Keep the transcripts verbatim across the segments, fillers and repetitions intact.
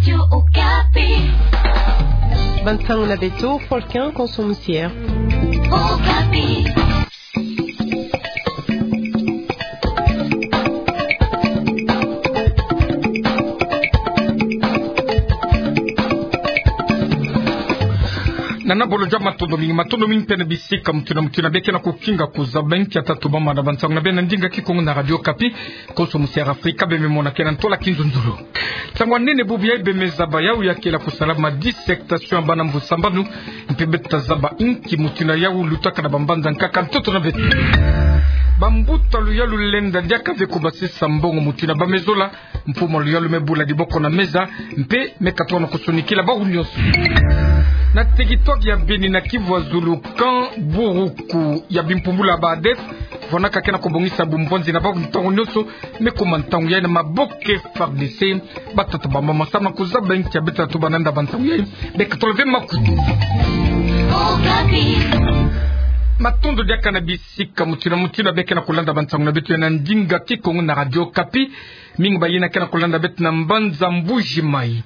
Radio Okapi. Bansango na beto, Folkin Konso Musier. Okapi. Nana bolo jwa matondo mingi, matondo mingi mpe na bisika mutindu na mutindu beke na kukinga kuzaba inkia tatu bamana bansango na beno na ndinga Kikongo na Radio Okapi. Konso Musier Afrika, beno me mona ke na ntwala kinzonzolo. Nsangu nene bubu yayi beno me zaba yawu ya kele kusalama dissertation ya bana mvu sambanu, mpe beto ta zaba inki mutindu yawu lutaka na bambanza nkaka ntoto na beto. Bambuta luyalu lenda diaka ve kubasisa mbongo mutindu ba me zola, mfumu luyalu me bula diboko na meza, mpe me katono kusonikila bawu nyonso. Na territoire ya Beni na Kivu ya Zulu, camp Buruku ya bimpumbulu ya ba ADF, vwanaka ke na kubongisa bumbwanzi na bawu ntangu nyonso, me kuma ntangu yayi na maboko ya FARDC. Batata bamama, samu na kuzaba inkia beto ta tuba na nda bansangu yayi, beka tolo ve makutu. Matondo diaka na bisika mutindu na mutindu beke na kulanda bansangu na beto ya na ndinga Kikongo na Radio Okapi. Mingi bayina ke na kulanda beto na mbanza Mbuji Mayi.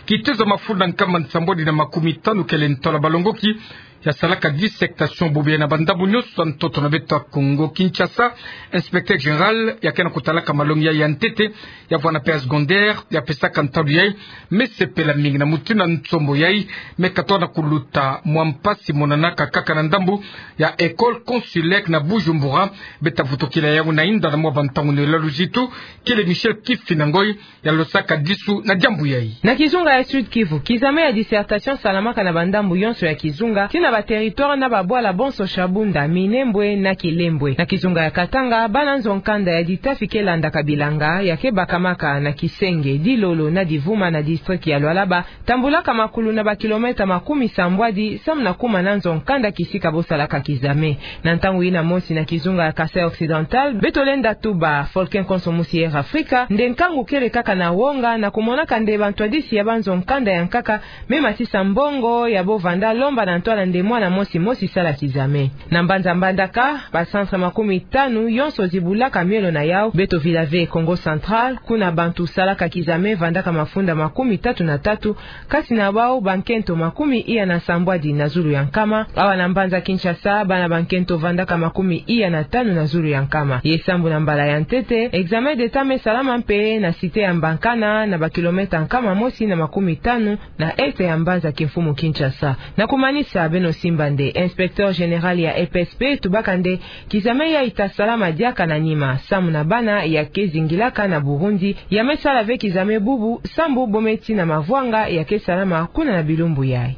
Kitezo ya mafunda nkama nsambwadi na makumi tanu kele ntwala balongoki ya salaka dissertation bubu yayi na bandambu nyonso ya ntoto na beto ya Kongo Kinshasa. Inspecteur général ya ke na kutalaka malongi yayi ya ntete, ya vwanda mpe ya secondaire, ya pesaka ntalu yayi, me sepela mingi na mutindu ya nsombo yayi me katono kuluta mwa mpasi monanaka kaka na ndambu ya école consulaire na Bujumbura. Beto ta vutukila yawu na inda na mwa bantangu na luyalu zitu, kele Michel Kifina Ngoy ya losaka disu na diambu yayi. Na kizunga ya Sud-Kivu, kizame ya dissertation salamaka na bandambu yonso ya kizunga, tii na ba territoire na babwala bonso Shabunda, Minembwe na Kilembwe. Na kizunga ya Katanga, bana nzo nkanda ya ditafi ke landaka bilanga ya ke bakamaka na Kisenge, Dilolo na Divuma na district ya Lualaba, tambulaka makulu na ba kilomètre makumi sambwadi, samu na kuma na nzo nkanda kisika bo salaka kizame. Na ntangu yina mosi na kizunga ya Kasaï Occidental, beto lenda tuba, Folkin Konso Musier Afrika, nde nkangu kele kaka na wonga na kumonaka nde bantwadisi ya banzo nkanda ya nkaka me matisa mbongo ya bo vanda lomba na ntwala nde mwana mosi mosi sala kizame. Na mbanza Mbandaka, ba centre makumi tanu yonso zibulaka miolo na yawu. Beto vila ve Kongo Central, kuna bantu salaka kizame vandaka mafunda makumi tatu na tatu, kati na bawu bankento makumi iya na sambwadi na zulu ya nkama. Awa na mbanza Kinshasa, bana bankento vandaka makumi iya na tanu na zulu ya nkama. Ye sambu na mbala ya ntete, examen d'État me salama mpe na cité ya Mbankana, na ba kilomètre nkama mosi na makumi tanu na est ya mbanza kimfumu Kinshasa. Na kumanisa, beno simba nde inspecteur général ya E P S P tubaka nde kizame yayi ta salama diaka na nima, samu na bana ya ke zingilaka na Burundi, ya me sala ve kizame bubu, sambu bo me tii na mavwanga ya ke salama kuna na bilumbu yayi.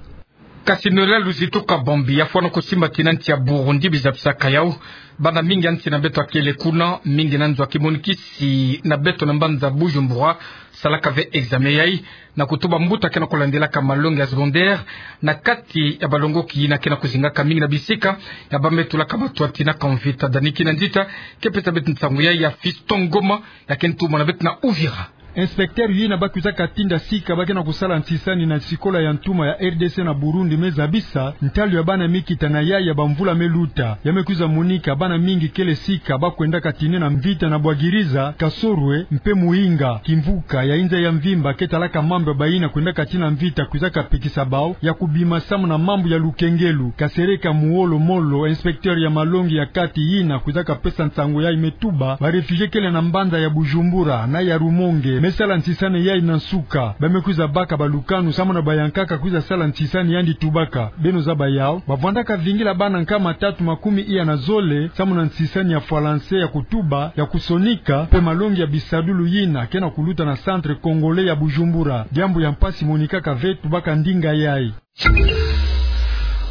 Kasi na luyalu zitu, Kabambi ya fwana kusimba ti na nsi ya Burundi, biza bisaka yawu, bana mingi ya nsi na beto ya kele kuna, mingi na nzo ya kimonikisi na beto na mbanza Bujumbura, salaka ve examen yayi, na kutuba mbuta ke na kulandilaka malongi ya secondaire, na kati ya balongoki yina ke na kuzingaka mingi na bisika ya ba me tulaka batwati na kamvita. Dani Kinanzita ke pesa beto nsangu yayi ya Fiston Ngoma, ya ke ntumwa na beto na Uvira. Inspecteur yina ba kwizaka tinda sika ba ke na kusala nsisani na sikola ya ntuma ya R D C na Burundi me zabisa ntalu ya bana me kita na yayi ya bamvula me luta. Ya me kwiza monika bana mingi kele sika ba kwendaka tinena mvita na Bwagiriza, Kasorwe, mpe Muinga. Kimvuka ya inza ya mvimba ke talaka mambu ya bayina kwendaka tii na mvita kwizaka pekisa bawu ya kubima samu na mambu ya lukengelu. Kasereka Muolo Molo, inspecteur ya malongi ya kati yina kwizaka pesa nsangu yayi, me tuba ba réfugiés kele na mbanza ya Bujumbura na ya Rumonge me sala nsisani yayi na nsuka. Ba me kwiza baka balukanu samu na bayankaka kwiza sala nsisani yandi tubaka. Beno zaba yawu, ba vwandaka vingila bana nkama tatu makumi iya na zole samu na nsisani ya falanse ya kutuba, ya kusonika, mpe malongi ya bisadulu yina ke na kuluta na Centre Congolais ya Bujumbura. Diambu ya mpasi monikaka ve tubaka ndinga yayi.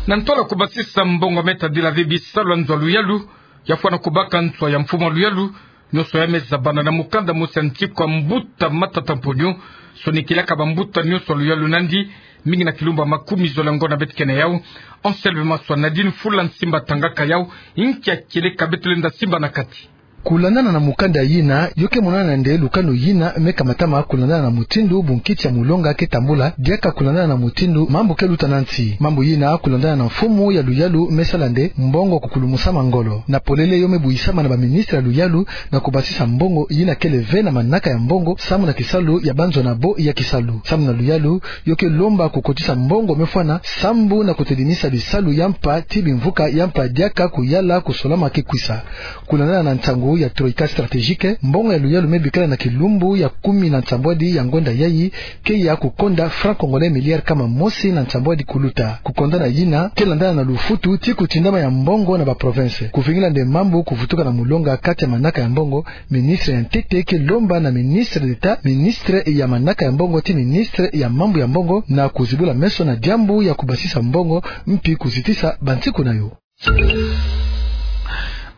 Na ntwala kubasisa mbongo me tadila ve bisalu ya nzo ya luyalu, ya fwana kubaka nswa ya mfumu ya luyalu, nyonso ya me zabana na mukanda mosi ya ntikwa mbuta Matata Mponyo, sonikilaka bambuta nyonso ya luyalu nandi, mingi na kilumbu ya makumi zole ngo na beto ke na yawu. Anselme Maswa, Nadine Fula Nsimba tangaka yawu, inki ya kele ka beto lenda simba na kati. Kulandana na mukanda yina, yo ke monana nde lukanu yina me kamatama kulandana na mutindu bunkiti ya mulonga ke tambula, diaka kulandana na mutindu mambu ke luta na nsi. Mambu yina kulandana na mfumu ya luyalu me sala nde mbongo kukulumusa mangolo. Na polele yo me buyisama na baministre ya luyalu na kubasisa mbongo yina kele ve na manaka ya mbongo, samu na kisalu ya banzo na bo ya kisalu. Samu na luyalu, yo ke lomba kukotisa mbongo me fwana sambu na kutedinisa bisalu ya mpa ti bimvuka ya mpa diaka kuyala kusolama ke kwisa. Kulandana na nsangu ya Troïka stratégique, mbongo ya luyalu me bikala na kilumbu ya kumi na nsambwadi ya ngonda yayi ke ya kukonda franc congolais milliard kama mosi na nsambwadi kuluta. Kukondana yina ke landana na lufutu ti kutindama ya mbongo na baprovince. Kuvingila nde mambu kuvutuka na mulonga kati ya manaka ya mbongo, ministre ya ntete ke lomba na ministre d'État, ministre ya manaka ya mbongo ti ministre ya mambu ya mbongo na kuzibula meso na diambu ya kubasisa mbongo mpi kuzitisa bansiku na yo.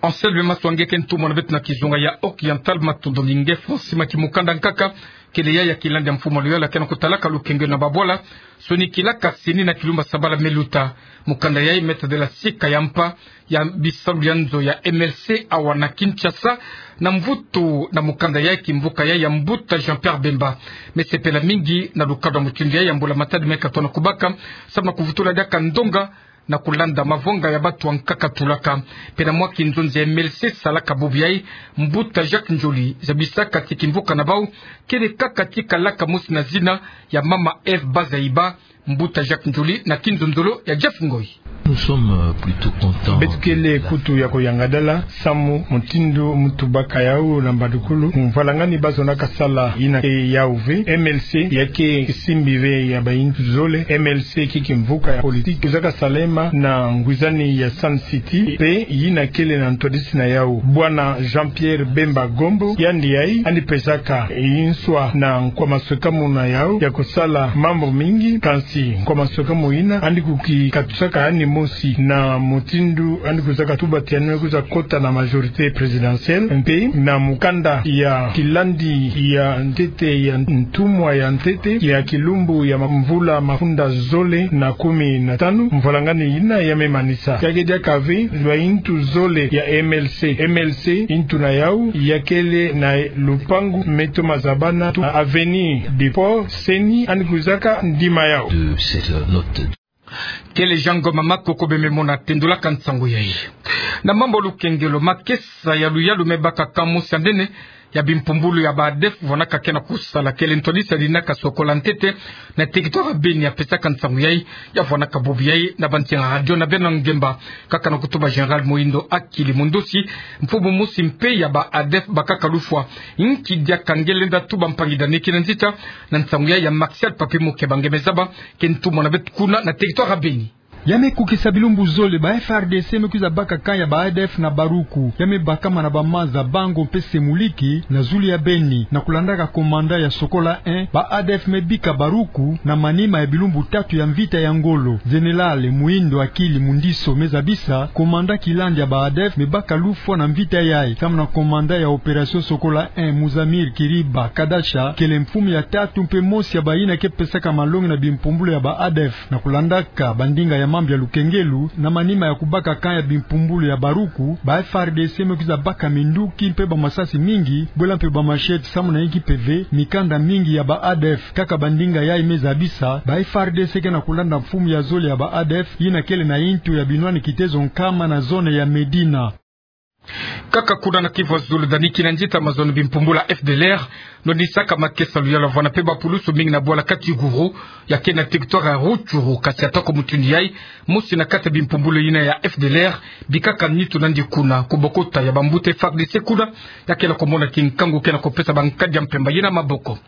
Anselme Maswange ke ntumwa na beto na kizunga ya Oriental, matondo mingi. Francis Maki, mukanda nkaka kele yayi ya kilandi ya mfumu ya luyalu ke na kutalaka lukengelo na babwala sonikilaka CENI na kilumbu ya sabala me luta. Mukanda yayi me tadila sika ya mpa ya bisalu ya nzo ya M L C awa na Kinshasa. Na mvutu na mukanda yayi, kimvuka yayi ya mbuta Jean-Pierre Bemba me sepela mingi na lukadu ya mutindu yayi ya mbula matadi me katono kubaka, samu na kuvutula diaka ndonga na kulanda mavonga ya batu ya nkaka tulaka. Mpe na mwa kinzonzi ya M L C salaka bubu yayi, mbuta Jacques Ndjoli zabisaka ti kimvuka na bau kele kaka ti kalaka mosi na zina ya mama Eve Bazaiba. Mbuta Jacques Ndjoli na kinzonzolo ya Jeff Ngoy. Nous sommes, euh, plutôt contents. Beto kele kutu ya kuyangadala samu mutindu mu tubaka yau na mbadukulu, mvwalangani bazonaka sala yina ke yau ve. M L C ya ke kisimbi ve ya bayintu zole. M L C ke kimvuka ya politique kwizaka salema na ngwizani ya Sun City, mpe yina kele na ntwadisi na yau, bwana Jean-Pierre Bemba Gombo. Yandi yayi yandi pesaka nswa na nkwa maswekamu na yau ya kusala mambu mingi, kansi nkwa maswekamu yina yandi kukikatusaka yandi mosi na mutindu yandi kwizaka tuba ti yandi me kwiza kota na majorité présidentielle. Mpe na mukanda ya kilandi ya ntete ya ntumwa ya ntete ya kilumbu ya ma-, mvula mafunda zole na kumi na tanu, mvwalangani yina ya me manisa. Ya ke diaka ve, bayintu zole ya M L C. M L C, yintu na yau ya kele na lupangu me toma zabana tu na avenue du Port, CENI yandi kwizaka ndima yau. De cette note. Kele Jean Ngoma Makoko bie me mona tendulaka nsangu yayi. Na mambu ya lukengelo, makesa ya luyalu me baka camp mosi ya nene ya bimpumbulu ya ba ADEF vwanaka ke na kusala, kele ntwadisi ya dinaka Sokola ntete na territoire ya Beni, ya pesaka nsangu yayi, ya vwanaka bubu yayi na bansinga radio na beno ngemba, kaka na kutuba Général Muhindo Akili Mundusi, mfumu mosi mpe ya ba ADEF bakaka lufwa. Inki diaka nge lenda tuba mpangi dani kina nzita na nsangu yayi ya Martial Papi Mukeba nge me zaba, ke ntumwa na beto kuna na territoire ya Beni? Ya me kukisa bilumbu zole ba F R D C me kwiza baka camp ya ba ADEF na Baruku. Ya me bakama na ba maza Bango mpe Semuliki na zulu ya Beni. Na kulandaka commandant ya Sokola un, ba ADEF me bika Baruku na manima ya bilumbu tatu ya mvita ya ngolo. Général Muhindo Akili Mundusi me zabisa, commandant kilandi ya ba ADEF me baka lufwa na mvita yayi, samu na commandant ya opération Sokola un, Muzamir Kiriba Kadasha, kele mfumu ya tatu mpe mosi ya bayina ke pesaka malongi na bimpumbulu ya ba ADEF. Na kulandaka bandinga ya mambu ya lukengelo, na manima ya kubaka camp ya bimpumbulu ya Baruku, ba F R D C me kwiza baka minduki mpe bamasasi mingi, bwela mpe bamachette, samu na yinki mpe ve mikanda mingi ya ba ADEF. Kaka bandinga yayi me zabisa, ba F R D C ke na kulanda mfumu ya zole ya ba ADEF, yina kele na yintu ya binwani kitezo nkama na zone ya Medina. Kaka kuna na Kivu ya Zulu, dani kina nzita mazono bimpumbulu ya F D L R nonisaka makesa ya luyalu, vwana mpe bapulusu mingi na bwala Katiguru, ya ke na territoire ya Rutshuru, kansi atako mutindu yayi, mosi na kati ya bimpumbulu yina ya F D L R bikaka nitu nandi kuna, kubokota ya bambuta F A R D C kuna, ya ke na kumona kinkangu ke na kupesa bankadi ya mpemba yina maboko.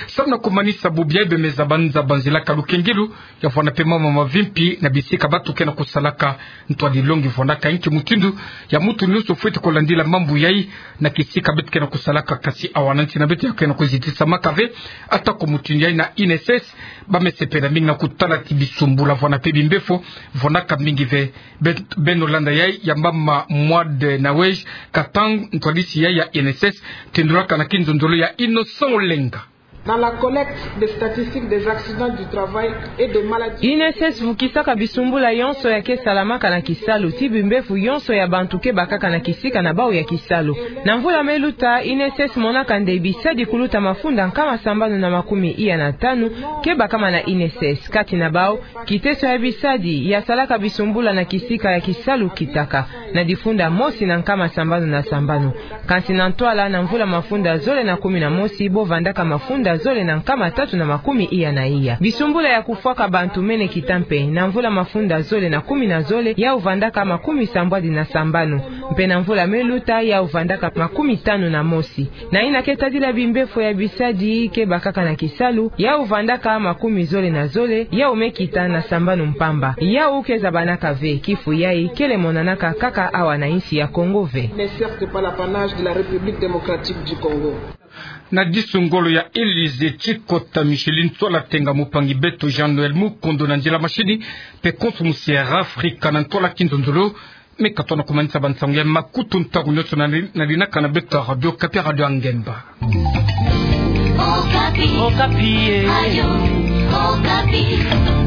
Samu na kumanisa bubu yayi, bie me zaba nza banzilaka lukengelo, ya vwana mpe mama mavimpi na bisika batu ke na kusalaka. Ntwadi longi vwanaka inki mutindu ya mutu nyonso fweti kulandila mambu yayi na kisika beto ke na kusalaka, kansi awa na nsi na beto ya ke na kuzitisamaka ve. Atako mutindu yayi na I N S S, ba me sepela mingi na kutala ti bisumbula vwana mpe bimbefo vwanaka mingi ve. Be-, beno landa yayi ya mama Mwade Nawej Katang, ntwadisi yayi ya I N S S, tendulaka na kinzonzolo ya Innocent Olenga. Dans la collecte des statistiques des accidents du travail et des maladies. INSS vukisaka bisumbula yonso ya ke salamaka na kisalu, ti bimbefu yonso ya bantu ke bakaka na kisika na bau ya kisalu. Na mvula me luta, INSS monaka nde bisadi kuluta mafunda nkama sambanu na makumi iya na tanu ke bakama na INSS. Kati na bau, kiteso ya bisadi ya salaka bisumbula na kisika ya kisalu kitaka na difunda mosi na nkama sambanu na sambanu. Kansi na ntwala, na mvula mafunda zole na kumi na mosi, bo vandaka mafunda zole na nkama tatu na makumi iya na iya. Bisumbula ya kufwaka bantu mene kita mpe. Na mvula mafunda zole na kumi na zole, yau vandaka makumi sambwadi na sambanu. Mpe na mvula me luta, yau vandaka makumi tanu na mosi. Na ina ke tadila bimbefu ya bisadi ke bakaka na kisalu, yau vandaka makumi zole na zole, yau me kita na sambanu mpamba. Yau ke zabanaka ve, kifu yai kele monanaka kaka awa na insi ya Kongo ve. Ne certes pas l'apanage de la République démocratique du Congo. Na disu ngolo ya Élysée, ti kota Micheline Tsola Tenga, mopangi beto Jean-Noël Mukondo na nzila masini, mpe konso musi ya Air Africa na ntwala kinzonzolo. Me ka tona kumanisa bansangu ya makutu ntangu nionso na, na linaka na beto Radio Okapi, Radio Ngemba. Okapi. Okapi, eh. Radio Okapi.